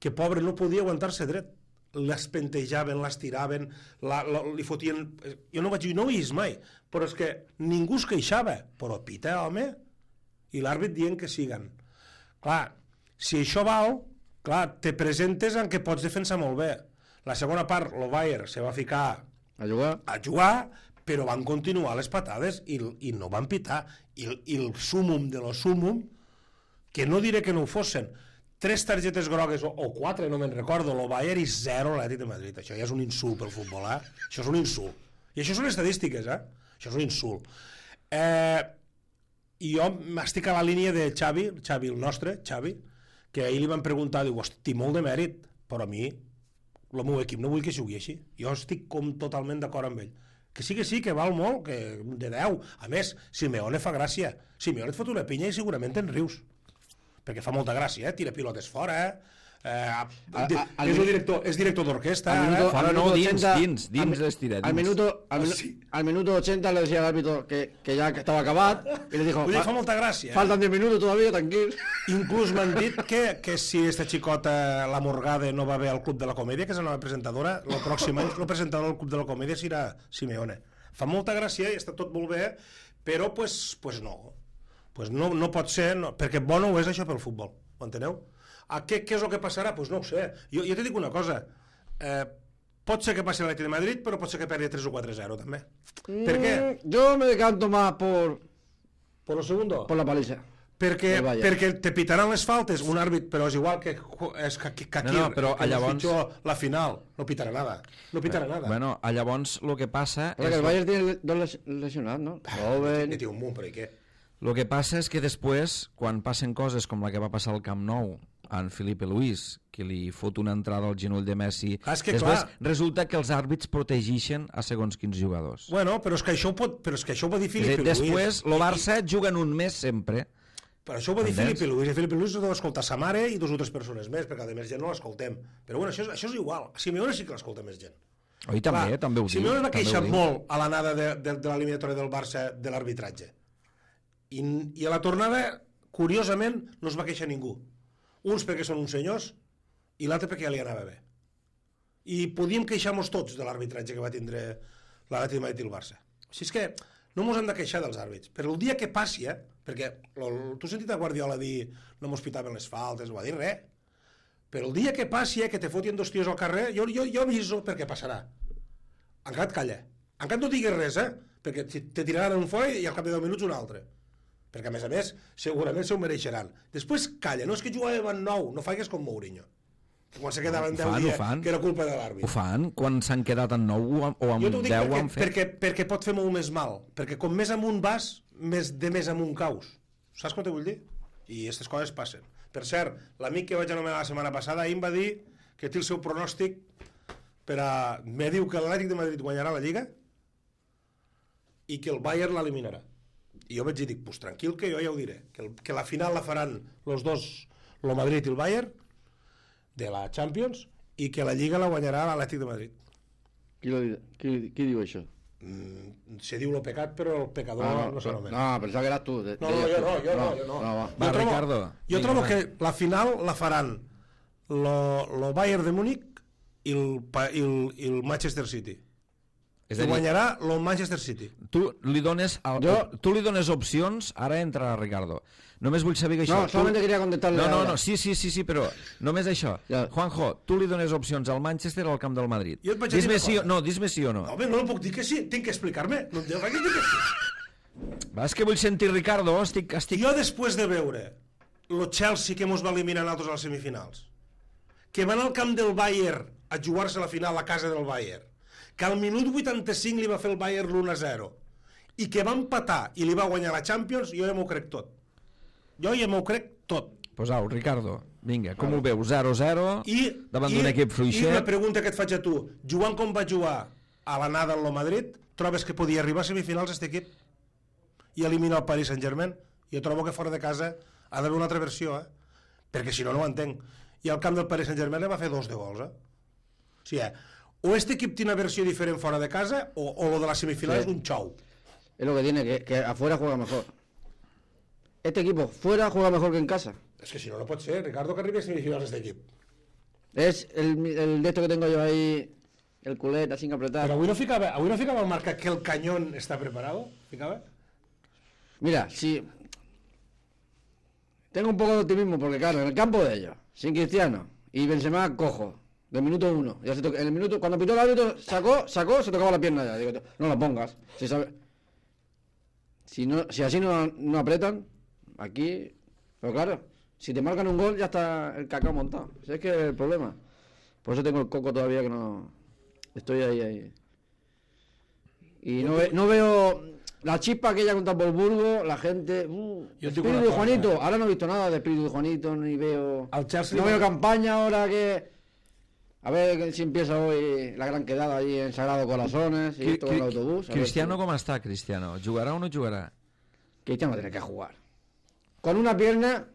que pobre no podia aguantar-se dret. Les pentejaven, les tiraven, la, la, li fotien... Jo no vaig dir, no ho he vist mai, però és que ningú es queixava. Però pita, home, i l'àrbit dient que siguen. Clar, si això val, clar, te presentes en què pots defensar molt bé. La segona part, el Bayern se va ficar a jugar, a jugar però van continuar les patades i, i no van pitar. I, i el súmum de lo súmum, que no diré que no ho fossin, tres targetes grogues, o, o quatre, no me'n recordo, el Bayern i zero l'Atlètic de Madrid. Això ja és un insult pel futbol, eh? Això és un insult. I això són estadístiques, eh? Això és un insult. Eh, I jo estic a la línia de Xavi, Xavi el nostre, Xavi, que ahir li van preguntar, diu, hosti, molt de mèrit, però a mi, el meu equip no vull que jugui així. Jo estic com totalment d'acord amb ell. Que sí que sí, que val molt, que de deu. A més, Simeone fa gràcia. Simeone et fot una pinya i segurament te'n rius. Perquè fa molta gràcia, eh? Tira pilotes fora, eh? Eh, a, de, a, a, és, el director, és director d'orquesta. Fora no, dins, dins, dins les tira. Al minuto, al, minu, al minuto ochenta le decía al árbitro que, que ya estaba acabat y le dijo, Vull dir, fa molta gràcia. Faltan diez minutos todavía, tranquil. Inclús m'han dit que, que si esta xicota, la Morgade, no va bé al Club de la Comèdia, que és la nova presentadora, el pròxim any el presentador del Club de la Comèdia serà Simeone. Fa molta gràcia i està tot molt bé, però pues, pues no. Pues no, no pot ser, no, perquè bo no ho és això pel futbol, ho enteneu? A què, què és el que passarà? Pues no ho sé. Jo, jo te dic una cosa, eh, pot ser que passi l'Atlètic de Madrid, però pot ser que perdi tres o quatre a zero també. Mm, ¿Per qué? Yo me decanto más por, por lo segundo. Por la paliza. Perquè, perquè te pitaran les faltes un àrbit, però és igual que, és que, que aquí no, no, però que llavors... pitjor, la final no pitarà nada, no pitarà nada. Bueno, llavors el que passa Porque és... el Bayern tiene dos lesionados, ¿no? Joven... Té un munt, però i què? El que passa és que després, quan passen coses com la que va passar al Camp Nou en Felipe Luis, que li fot una entrada al genoll de Messi, ah, és que, després clar, resulta que els àrbits protegeixen a segons quins jugadors. Bueno, però és que això ho, pot, però és que això ho va dir Felipe Luis. Després, el Barça I... juguen un mes sempre. Però això ho va dir Felipe Luis, i Felipe Luis ho deu escoltar sa mare i dues o tres persones més, perquè a més gent no l'escoltem. Però bueno, això, això és igual. Simeone sí que l'escolta més gent. Oi, també, clar, també ho diu. Simeone va queixar molt a l'anada de, de, de l'eliminatòria del Barça de l'arbitratge. I, I a la tornada, curiosament, no es va queixar ningú. Uns perquè són uns senyors i l'altre perquè ja li anava bé. I podíem queixar-nos tots de l'arbitratge que va tindre l'Atlètic de Madrid i el Barça. Així és que no ens hem de queixar dels àrbits. Però el dia que passi, eh, perquè tu has sentit a Guardiola dir no mos pitaven les faltes, no va dir res. Però el dia que passi, eh, que te fotien dos tios al carrer, jo, jo, jo aviso perquè passarà. Encara et calla. Encara no digues res, eh? Perquè te tiraran un fora i al cap de deu minuts un altre. Perquè, a més a més, segurament se ho mereixeran. Després calla, no és que jugàvem en nou, no faigues com Mourinho. quan se quedaven Ho deu fan, ho dies, fan. que era culpa de l'àrbit. Ho fan, quan s'han quedat en nou o amb Jo t'ho dic deu ho perquè, han fet. perquè, perquè pot fer molt més mal, perquè com més amunt vas, més de més amunt caus. Saps com t'ho vull dir? I aquestes coses passen. Per cert, l'amic que vaig anomenar la setmana passada ahir em va dir que té el seu pronòstic per a... Me diu que l'Atlètic de Madrid guanyarà la Lliga i que el Bayern l'eliminarà. I jo vaig dir, pues tranquil, que jo ja ho diré, que, el, que la final la faran los dos, el Madrid i el Bayern, de la Champions, i que la Lliga la guanyarà l'Atlètic de Madrid. Qui, lo, qui, qui diu això? Mm, se diu lo pecat, però el pecador Ah, no, no, no s'anomena. no, pensava que eras tu. De, No, no, jo no, jo no, jo no. no va. Va, jo trobo, Ricardo, jo vinga, trobo va. que la final la faran lo, lo Bayern de Múnich i el, pa- i el, i el Manchester City. És I a dir, guanyarà el Manchester City. tu li dones, el, Jo- tu li dones opcions, ara entra Ricardo. Només vull saber que això... No, solamente tu... quería contestarle No, no, ahora. no, sí, sí, sí, sí, però només això. Ja. Juanjo, tu li dones opcions al Manchester o al camp del Madrid? Jo et vaig dir Dis-me una sí, o- cosa. no, dis-me sí o no. Home, no puc dir que sí, tinc que explicar-me. No em dius que dic que sí. Va, és que vull sentir Ricardo, estic... estic... Jo després de veure el Chelsea que mos va eliminar a nosaltres a les semifinals, que van al camp del Bayern a jugar-se la final a casa del Bayern, que al minut vuitanta-cinc li va fer el Bayern l'u a zero i que va empatar i li va guanyar la Champions, jo ja m'ho crec tot. Jo ja m'ho crec tot. Pues au, Ricardo, vinga, com ho veus? zero zero, I, davant i, d'un equip I fluixet... la pregunta que et faig a tu, jugant com va jugar a l'anada en el Madrid, trobes que podia arribar a semifinals aquest equip i eliminar el Paris Saint-Germain? Jo trobo que fora de casa ha d'haver una altra versió, eh? Perquè si no, no ho entenc. I al camp del Paris Saint-Germain li va fer dos de gols, eh? O sigui, o este equip té una versió diferent fora de casa o, o lo de la semifinal Sí. és un xou. Es lo que tiene, que, que afuera juega mejor. Este equipo fuera juega mejor que en casa. És que si no, no pot ser, Ricardo, que arribi a semifinals aquest equip. Es el, el de esto que tengo yo ahí, el culet, así que apretar. Però avui no ficava, avui no ficava el marca que el cañón està preparado? Ficava? Mira, si... Tengo un poco de optimismo, porque claro, en el campo de ellos, sin Cristiano, y Benzema cojo, del minuto uno. Ya se to- en el minuto, cuando pitó el árbitro, sacó, sacó, se tocaba la pierna ya. Digo, no la pongas. Si, sabe- si, no, si así no, no apretan, aquí... Pero claro, si te marcan un gol, ya está el cacao montado. Ese es que es el problema. Por eso tengo el coco todavía que no... Estoy ahí, ahí. Y no, ve- no veo la chispa aquella contra Wolfsburgo, la gente... Uh, Yo te digo espíritu una de cosa. Juanito. Ahora no he visto nada de espíritu de Juanito, ni veo... Al Chelsea No li va- veo campaña ahora que... A ver si empieza hoy la gran quedada allí en Sagrado Corazones y Cri- esto con el cri- autobús. a ver Cristiano si- com està, Cristiano? Jugarà o no jugarà? Cristiano tiene que jugar. Con una pierna...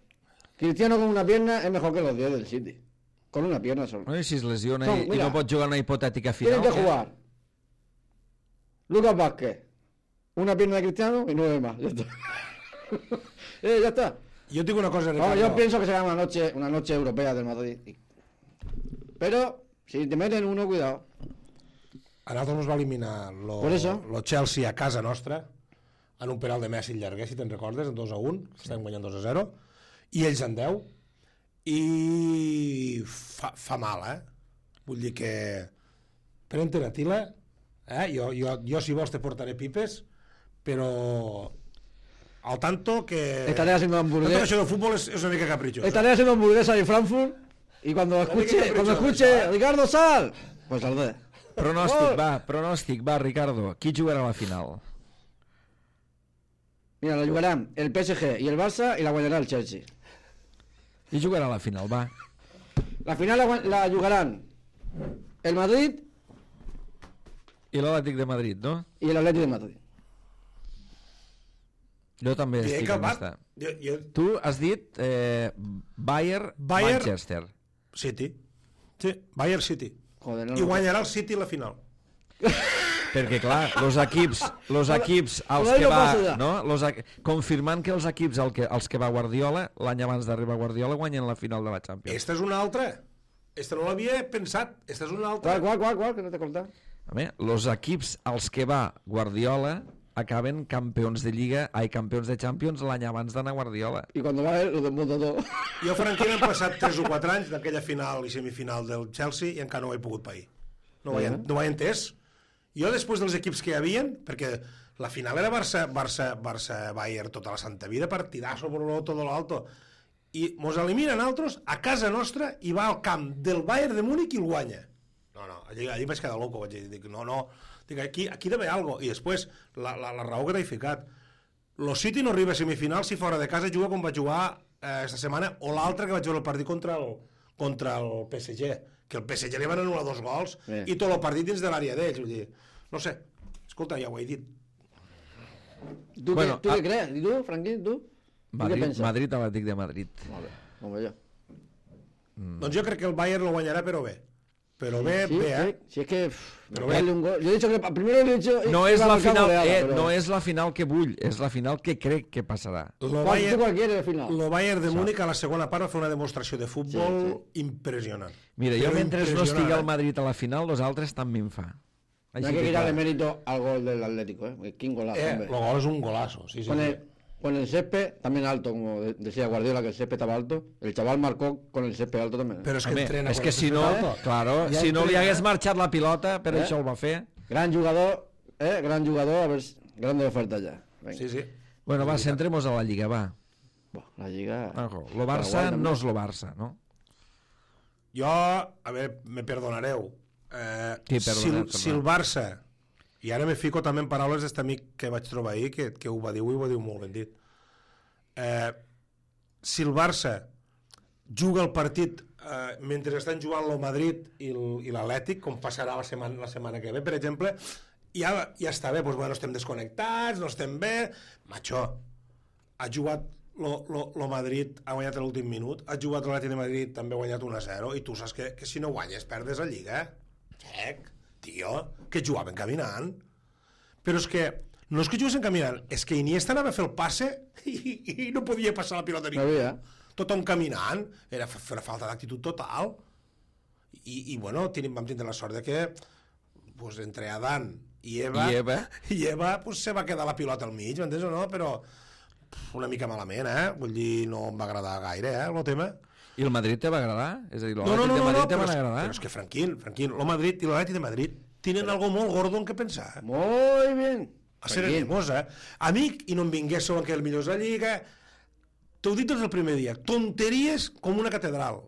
Cristiano con una pierna es mejor que los diez del City. Con una pierna solo. No, i si es lesiona No, i, i mira. no pot jugar una hipotètica final... Tienen que què? jugar. Lucas Vázquez. Una pierna de Cristiano y nueve más. Ya está. eh, ya está. Jo et dic una cosa, Ricardo. Vamos, yo pienso que será una noche, una noche europea del Madrid. Pero, si te meten uno, cuidado. A nosaltres ens va eliminar lo, Por eso. lo Chelsea a casa nostra en un penal de Messi llarguer, si te'n recordes, en dos a un, que estem guanyant dos a zero, i ells en deu, i fa, fa mal, eh? Vull dir que pren-te una tila, eh? Jo, jo, jo si vols te portaré pipes, però al tanto que... Estaré haciendo Tanto que hamburguesa. això del futbol és, és una mica capritxós. Estaré haciendo hamburguesa en Frankfurt. Y cuando escuche, capricho, cuando escuche ¿sabes? Ricardo Sal, pues saldré. Pronòstic, Gol. va, pronòstic, va, Ricardo. Qui jugarà a la final? Mira, lo jugarán el P S G y el Barça y la guanyará el Chelsea. Qui jugarà a la final, va? La final la, gua- la jugarán el Madrid I l'Atlètic de Madrid, no? y el Atlético de Madrid. Jo també I he estic en acabat. esta. Jo, jo, Tu has dit eh, Bayern, Bayern- Manchester. City. Sí, Bayern City. Joder, no, I no. guanyarà el City la final. Perquè, clar, los equips, los equips als Hola, que no va... passa ja. No? Los, equ- confirmant que els equips al que, als que va Guardiola, l'any abans d'arribar Guardiola, guanyen la final de la Champions. Esta és una altra. Esta no l'havia pensat. Esta és una altra. ¿Cuál, cuál, cuál, cuál? Que no te he contado. Home, los equips als que va Guardiola acaben campions de Lliga, ai, campions de Champions l'any abans d'anar Guardiola. Y cuando va él, lo desmonta todo. Jo, franquament, han passat tres o quatre anys d'aquella final i semifinal del Chelsea i encara no ho he pogut pair. No ho he, Bueno. no ho he entès. Jo, després dels equips que hi havien, perquè la final era Barça, Barça, Barça Bayern tota la santa vida, partidazo por lo todo lo alto, i mos eliminen altres a casa nostra i va al camp del Bayern de Múnich i el guanya. No, no, allí, allí vaig quedar loco, vaig dir, dic, no, no, dic, aquí, aquí deve algo. I després, la, la, la raó que t'he ficat, lo City no arriba a semifinals si fora de casa juga com va jugar eh, esta setmana, o l'altre que vaig veure el partit contra el, contra el P S G, que el P S G li van anul·lar dos gols eh. i tot el partit dins de l'àrea d'ells, vull dir, no sé, escolta, ja ho he dit. Tu, bueno, què, tu a... què creus? I tu, Franquín, tu? Madrid, Madrid Atlètic de Madrid. Molt bé, molt bé jo. Mm. Doncs jo crec que el Bayern lo guanyarà, però bé. Però bé, sí, bé, eh? Sí, es que... Pero bé. Un gol. Yo he dicho que primero le he dicho... No és la final, goleada, eh, però... no és la final que vull, és la final que crec que passarà. Lo Bayern, lo Bayern de Múnich a la segona part va fer una demostració de futbol sí, sí. impressionant. Mira, jo mentre no estigui el Madrid a la final, los altres també em fa. Hay que quitarle mérito al gol del Atlético, ¿eh? ¿Quién golazo? Eh, el gol es un golazo, sí, sí. Con sí. el, con el césped también alto, como decía Guardiola, que el césped estaba alto. El chaval marcó con el césped alto también. Pero es que Home, entrena és que si no, alto. claro, ja si no li hagués marxat la pilota, per eh? això el va fer. Gran jugador, eh, gran jugador, a ver, grande oferta ya. Venga. Sí, sí. Bueno, va, centremos a la Lliga, va. La Lliga... Ojo, lo Barça no és lo Barça, no? Jo, a veure, me perdonareu. Eh, sí, si, si el Barça... I ara me fico també en paraules d'este amic que vaig trobar ahir, que, que ho va dir, i ho va dir molt ben dit. Eh, si el Barça juga el partit eh, mentre estan jugant el Madrid i l'Atlètic, com passarà la setmana, la setmana que ve, per exemple, ja, ja està bé, doncs, bueno, estem desconnectats, no estem bé... Macho, ha jugat lo, lo, lo Madrid, ha guanyat l'últim minut, ha jugat l'Atlètic de Madrid, també ha guanyat un a zero, i tu saps que, que si no guanyes perdes la Lliga. Xec, tio, que jugaven caminant. Però és que no és que juguessin caminant, és que Iniesta anava a fer el passe i, i no podia passar la pilota ningú. No tothom caminant, era fer falta d'actitud total. I, i bueno, tenim, vam tindre la sort de que pues, entre Adán i Eva, I Eva, i Eva pues, se va quedar la pilota al mig, m'entens o no? Però una mica malament, eh? Vull dir, no em va agradar gaire, eh, el tema. I el Madrid te va agradar? És a dir, no, no, no, de no, Madrid no, te però, van és, agradar? però és que, Franquín, Franquín, el Madrid i l'Atlètic de Madrid tenen algo molt gordo en què pensar. Muy bien. A ser animós, eh? Amic, i no em vinguéssiu que el millor és la Lliga. T'ho dit des del primer dia. Tonteries com una catedral.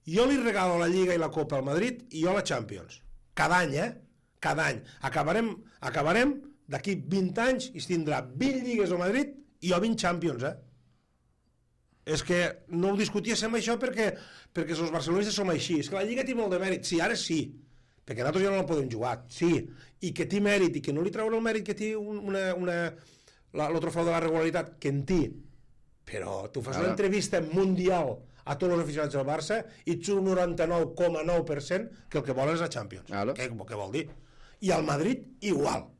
Jo li regalo la Lliga i la Copa al Madrid i jo la Champions. Cada any, eh? Cada any. Acabarem, acabarem d'aquí vint anys i es tindrà vint lligues al Madrid i jo vint Champions, eh? És que no ho discutíssim això perquè, perquè els barcelonistes som així. És que la Lliga té molt de mèrit. Sí, ara sí. Perquè nosaltres ja no la podem jugar. Sí. I que té mèrit i que no li treure el mèrit que té una, una, la, el trofeu de la regularitat, que en té. Però tu fas ara una entrevista mundial a tots els aficionats del Barça i ets un noranta-nou coma nou per cent que el que volen és la Champions. Claro. Què, què vol dir? I al Madrid, igual.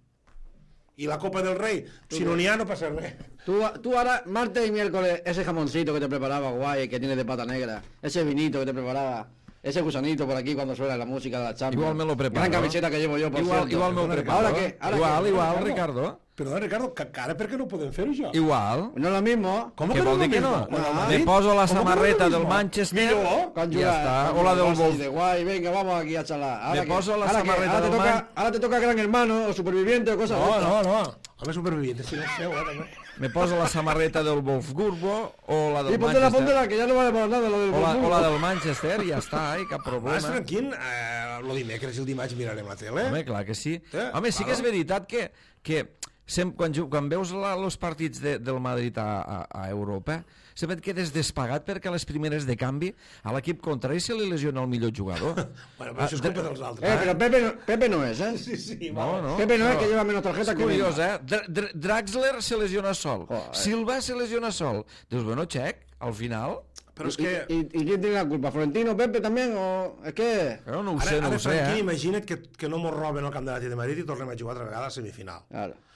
Y la Copa del Rey, si no n'hi ha, no pasa res. Tú, tú ahora, martes y miércoles, ese jamoncito que te preparaba, guay, que tienes de pata negra, ese vinito que te preparaba, ese gusanito por aquí cuando suena la música de la Champions. Igual me lo preparo. Gran camiseta que llevo yo, por igual, cierto. Igual me lo preparo. ¿Ahora qué? ¿Ahora igual, qué? igual, Ricardo. Perdona, Ricardo, que ara per què no podem fer això? Igual. No es lo mismo. ¿Cómo que que vol no dir que no? Ah, me poso la samarreta del Manchester y ya está. O la del Wolf. De guay, venga, vamos aquí a charlar. Ahora me que, poso la ahora samarreta ahora del te toca, Man... ahora te toca Gran Hermano o Superviviente o cosas no, de estas. No, no, no. Home, Superviviente, si no seu, eh, també. Me poso la samarreta del Wolfsburgo o la del y Manchester. Y ponte la, que ya no vale para nada, lo del o la, Wolfsburgo. o la del Manchester, ja està, eh, cap problema. Vas tranquil, eh, el dimecres i el dimarts mirarem la tele. Home, clar que sí. Eh, Home, sí que és veritat que, que sem, quan, quan veus la, els partits de, del Madrid a, a, a Europa, sempre et quedes despagat perquè a les primeres de canvi a l'equip contrari se li lesiona el millor jugador. Bueno, però això és culpa dels altres. Eh, però Pepe no, Pepe no és, eh? Sí, sí, no, no. Pepe no, no és que lleva menos tarjeta que curiós, eh? Dr Dr Draxler se lesiona sol. Oh, eh. Silva se lesiona sol. Dius, bueno, check, al final... Però és que... ¿Y, y, y quién tiene la culpa? ¿Florentino, Pepe también? O... Es que... Però no ho ara, sé, no ara, ho sé, Franquí, eh? imagina't que, que no mos roben el camp de l'Atlètic de Madrid i tornem a jugar altra vegada a la semifinal. Claro.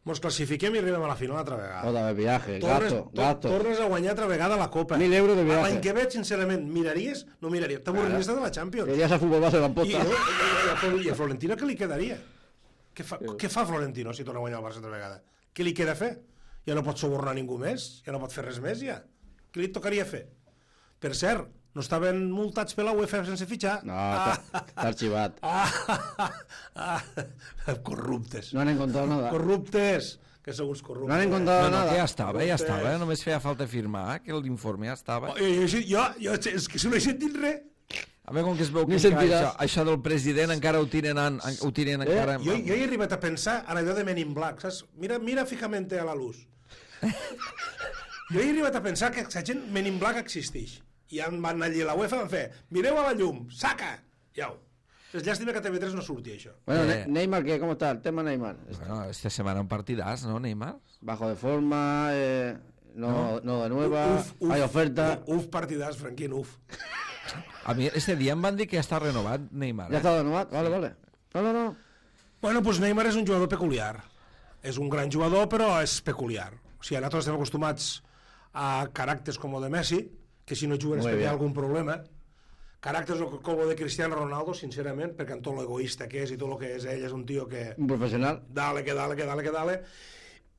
Mos classifiquem i arribem a la final altra vegada. Otra vez viaje, tornes, gasto, to, gasto. Tornes a guanyar altra vegada la Copa. Mil euros de viaje. L'any que ve, sincerament, miraries? No miraries. T'avorries de la Champions. Irías a fútbol base de I, l'Amposta. i, i, I a Florentino què li quedaria? Què fa, què fa Florentino si torna a guanyar el Barça altra vegada? Què li queda fer? Ja no pot subornar ningú més? Ja no pot fer res més, ja? Què li tocaria fer? Per cert, No estaven multats per la UEFA sense fitxar? No, ah, està arxivat. ah, ah, ah, corruptes. No han encontrado nada. Corruptes, que sou uns corruptes. No han encontrado No, no, nada. que ja estava, ja estava, només feia falta firmar que l'informe ja estava. Oh, jo, jo, jo, jo, és que si no he sentit res. A veure, com que es veu que Ni encara sentiràs. això, això del president encara ho tiren, en, ho tiren Eh, encara... Jo, jo he arribat a pensar en allò de Men in Black, saps? Mira, mira fijamente a la luz. Jo he arribat a pensar que la gent Men in Black existeix. I van anar allí a la UEFA i van fer, mireu a la llum, saca! Iau. És llàstima que a T V tres no surti això. Bueno, Eh. Ne- Neymar, ¿qué? ¿Cómo está? El tema Neymar. Bueno, esta semana un partidàs, no, Neymar? Bajo de forma, eh, no, no de nueva, hay oferta. Uf, partidàs, Franquín, uf. A mi este dia em van dir que ja està renovat Neymar. ¿Ya Eh? está renovado? Vale, vale. No, no, no. Bueno, doncs Neymar és un jugador peculiar. És un gran jugador, però és peculiar. O sigui, nosaltres estem acostumats a caràcters com el de Messi, que si no juguen és Muy perquè hi ha bien. algun problema. Caràcters com el de Cristiano Ronaldo, sincerament, perquè amb tot l'egoista que és i tot el que és ell, és un tio que... Un profesional. Dale, que dale, que dale, que dale.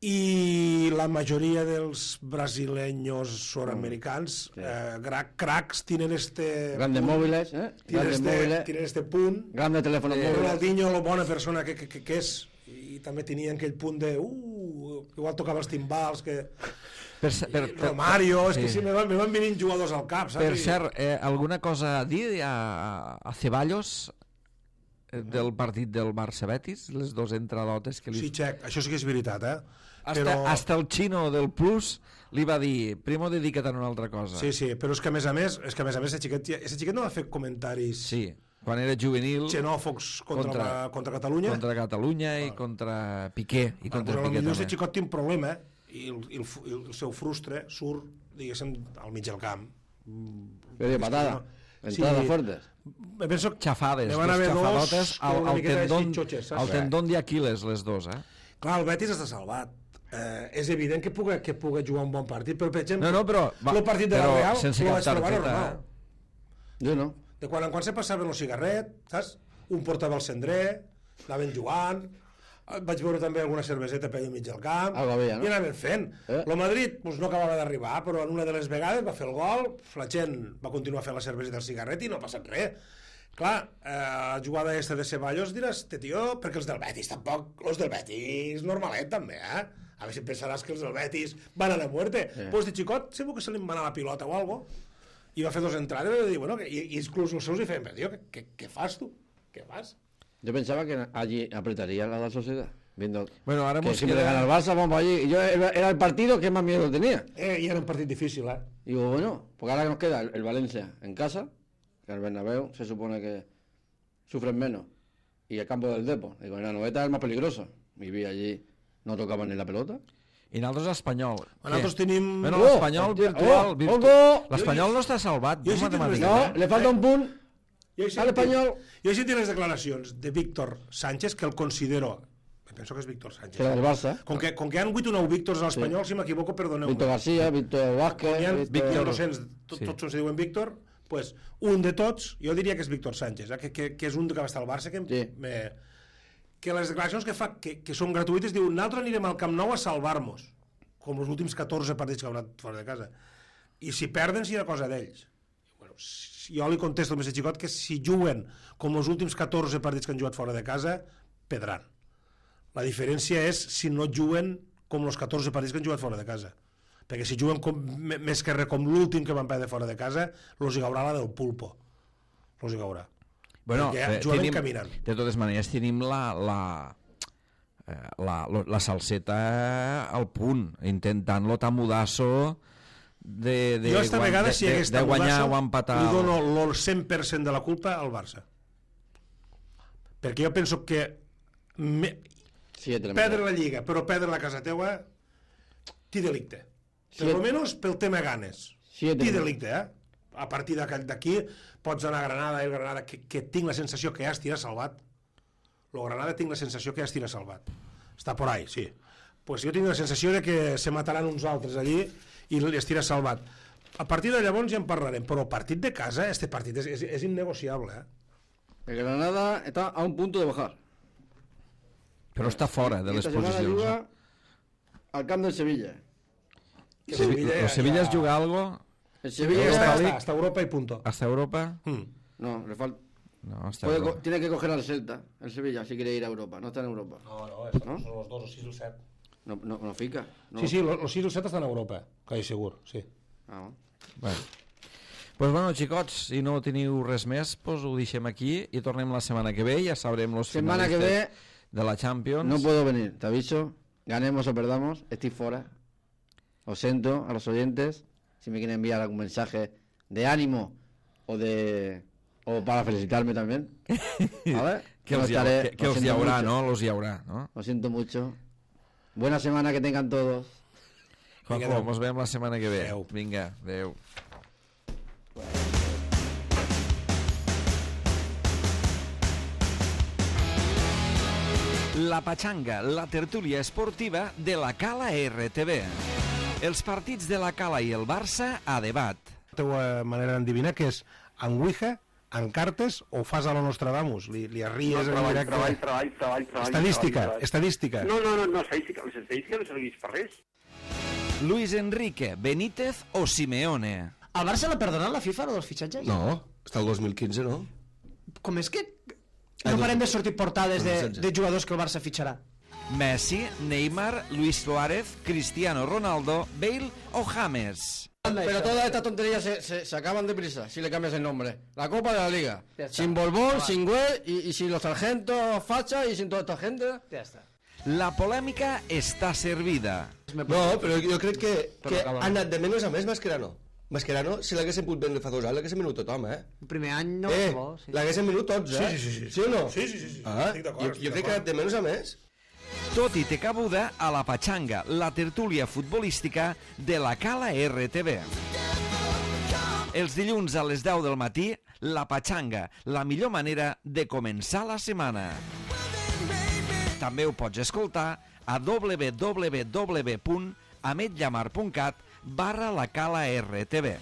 I la majoria dels brasileños suramericans, Sí. eh, gra- cracs, tienen este... Grandes punt, móviles, ¿eh? Tienen Grandes este, móviles. tienen este punt. Grandes teléfonos móviles. Ronaldinho, la bona persona que, que, que, que és, i també tenien aquell punt de... Uh, igual tocava els timbals, que... Per, ce- per, per, Romario, és que sí. sí, me van, me van venint jugadors al cap, saps? Per I- cert, eh, alguna cosa a dir a, a Ceballos eh, del partit del Barça-Betis? Les dues entradotes que li... Sí, Xec, això sí que és veritat, eh? Hasta, Però... hasta el xino del Plus li va dir, primo, dedica't a una altra cosa. Sí, sí, però és que a més a més, és que a més a més, ese xiquet, ese xiquet no va fer comentaris Sí, quan era juvenil... xenòfobs contra, Contra- la, contra Catalunya. Contra Catalunya i contra Piqué. I contra Però Piqué potser també. aquest xicot té un problema i el, i el, i el seu frustre surt, diguéssim, al mig del camp. Pero de patada. Entradas fuertes. Me penso que Xafades, ne van dos haver dos xafadotes que al, una al miqueta tendón, xitxotxes, saps? al tendón d'Aquiles, les dos, eh? Clar, el Betis està salvat. Eh, és evident que puga, que puga jugar un bon partit, però per exemple, No, no, però... Va, el partit de la però Real sense lo cap vaig trobar targeta, normal. eh? Yo no. De quan en quan se passaven el cigarret, saps? Un portava el cendrer, anaven jugant, vaig veure també alguna cerveseta per allà al mig del camp, Algo havia, no? i anaven fent. Eh? El Madrid pues, no acabava d'arribar, però en una de les vegades va fer el gol, la gent va continuar fent la cerveseta al cigarret i no ha passat res. Clar, eh, la jugada aquesta de Ceballos diràs, te tio, perquè els del Betis tampoc, els del Betis normalet també, eh? A veure si pensaràs que els del Betis van a la muerte. Eh. Pues de xicot segur que se li va anar la pilota o algo, i va fer dos entrades i va dir, bueno, que, i, i inclús els seus hi feien, però tio, què, què, què fas tu? Què fas? Yo pensaba que allí apretaría la, la sociedad. Viendo Bueno, ara que mos si me queda- gana el Barça, vamos allí. Y yo era era el partido que más miedo tenía. Eh, i era un partit difícil, eh? Y digo, bueno, porque ahora que nos queda el, el Valencia en casa, que el Bernabéu se supone que sufren menos, y el campo del Depo. Digo, en la noveta es el más peligroso. Y vi allí, no tocaban ni la pelota. I nosaltres espanyol. Nosaltres Què? tenim... Bueno, Oh, l'espanyol hòstia, virtual... oh, virtu... ojo! L'espanyol no està salvat. jo he no sentit matemàtica, No, eh? le falta un punt Jo he al sentit- Espanyol. Jo he sentit les declaracions de Víctor Sánchez, que el considero... Penso que és Víctor Sánchez. Que era del Barça. Com que, com que hi ha vuit o nou Víctors a l'Espanyol, si m'equivoco, perdoneu-me. Víctor García, Víctor Vázquez, Hi ha Víctor... Víctor Docents, tot, Sí. tots se diuen Víctor, pues, un de tots, jo diria que és Víctor Sánchez, eh? que, que, que és un que va estar al Barça, que, Sí. me, que les declaracions que fa, que, que són gratuïtes, diu, nosaltres anirem al Camp Nou a salvar-nos, com els últims catorze partits que han anat fora de casa. I si perden, serà cosa d'ells. Bueno, si jo li contesto al més xicot que si juguen com els últims catorze partits que han jugat fora de casa, perdran. La diferència és si no juguen com els catorze partits que han jugat fora de casa. Perquè si juguen com, m- més que res com l'últim que van perdre fora de casa, los hi haurà la del pulpo. Los hi haurà. Bueno, Perquè eh, jugaven tenim, caminant. de totes maneres tenim la, la, eh, la, lo- la salseta al punt, intentant-lo tamudasso de, de, jo esta guan- vegada, de, si de, hagués de guanyar tamudasso, o empatar. li dono el cent per cent de la culpa al Barça. Perquè jo penso que me, Siete, la perdre mitad. la Lliga, però perdre la casa teua, ti delicte. Per Siete. lo menos pel tema ganes. Siete. Ti delicte, eh? A partir d'aquí d'aquí pots anar a Granada, el Granada, que, que tinc la sensació que ja estirà salvat. Lo Granada tinc la sensació que ja estirà salvat. Està por ahí, sí. Pues jo tinc la sensació de que se mataran uns altres allí i estirà salvat. A partir de llavors ja en parlarem, però el partit de casa, este partit és, és, és innegociable, eh? El Granada está a un punto de bajar. Però està fora de Y les esta semana posicions. juga Eh? al camp del Sevilla. Que Sevi- Sevilla el ja- Sevilla ja- es juga algo... El Sevilla Hasta, está... hasta, hasta Europa y punto. ¿Hasta Europa? Hmm. No, le falta... No, hasta Puede Europa. co- tiene que coger al Celta, el Sevilla, si quiere ir a Europa. No está en Europa. No, no, es, ¿No? son los dos, los sis y el set. No, no, no fica. No. Sí, sí, los, los sis i el set estan a Europa, quasi segur, sí. Ah, bueno. Bueno. Pues bueno, xicots, si no teniu res més, pues ho deixem aquí i tornem la setmana que ve, ja sabrem los Semana que finalistes ve de la Champions. no puedo venir, te aviso. Ganemos o perdamos, estoy fuera. Lo siento a los oyentes. Si me quieren enviar algún mensaje de ánimo o de o para felicitarme también. A ver, que no els, hi ha, estaré, que, que lo els hi siento haurà, mucho. no? Los hi haurà, no? Lo siento mucho. Buena semana que tengan todos. Juanjo, adeu. mos veiem la setmana que ve. Adeu. Vinga, adeu. La Pachanga, la tertúlia esportiva de la Cala R T V. Els partits de la Cala i el Barça a debat. La teva manera d'endevinar que és en Ouija, en cartes o fas a la Nostradamus? Li, li arries en treball, directe? treball, treball, treball, treball. Estadística, treball, treball. estadística. No, no, no, no, estadística, les estadístiques no serveix per res. Luis Enrique, Benítez o Simeone. Al Barça l'ha perdonat la FIFA, lo dels fitxatges? No, està el dos mil quinze, no? Com és que Ah, no dos- parem de sortir portades de, dos mil setze. de jugadors que el Barça fitxarà? Messi, Neymar, Luis Suárez, Cristiano Ronaldo, Bale o James. Pero todas estas tonterías se, se, se acaban deprisa si le cambias el nombre. La Copa de la Liga. Ya está. Sin Borbón, sin Güell y, y sin los sargentos facha y sin toda esta gente. Ja està. La polèmica està servida. No, però jo crec que, que acaba. ha anat de menys a més Mascherano. Mascherano, si l'haguessin pogut vendre fa dos anys, l'haguessin venut tothom, eh? El primer any no eh, va bo, sí. l'haguessin venut tots, eh? Sí, sí, sí, sí. Sí o no? Sí, sí, sí, sí. Ah, Estic d'acord, jo, estic jo crec que ha d'acord. anat de menys a més. Tot i té cabuda a la Pachanga, la tertúlia futbolística de la Cala R T V. Els dilluns a les deu del matí, la Pachanga, la millor manera de començar la setmana. També ho pots escoltar a www punt ametllamar punt cat barra la Cala R T V.